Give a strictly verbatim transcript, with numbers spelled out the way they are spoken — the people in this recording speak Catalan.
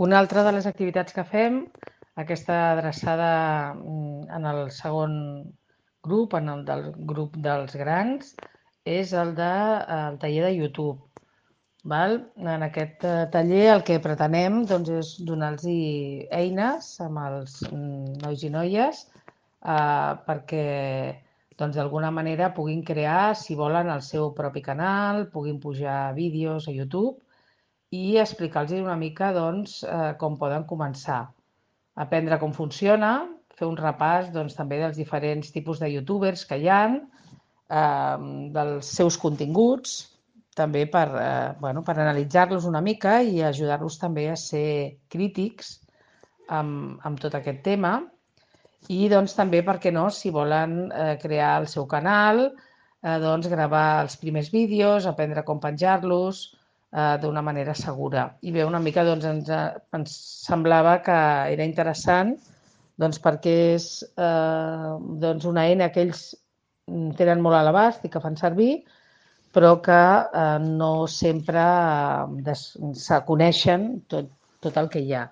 Una altra de les activitats que fem, aquesta adreçada en el segon grup, en el del grup dels grans, és el del de, el taller de YouTube. Val? En aquest taller el que pretenem doncs, és donar-los eines amb els nois i noies eh, perquè doncs, d'alguna manera puguin crear, si volen, el seu propi canal, puguin pujar vídeos a YouTube i explicar-los una mica doncs, eh, com poden començar. Aprendre com funciona, fer un repàs doncs, també dels diferents tipus de youtubers que hi ha, eh, dels seus continguts, també per, eh, bueno, per analitzar-los una mica i ajudar-los també a ser crítics amb, amb tot aquest tema. I doncs, també, per què no, si volen eh, crear el seu canal, eh, doncs, gravar els primers vídeos, aprendre com penjar-los eh, d'una manera segura. I bé, una mica doncs, ens, ens semblava que era interessant doncs, perquè és eh, doncs una eina que ells tenen molt a l'abast i que fan servir, però que eh, no sempre eh, se coneixen tot, tot el que hi ha.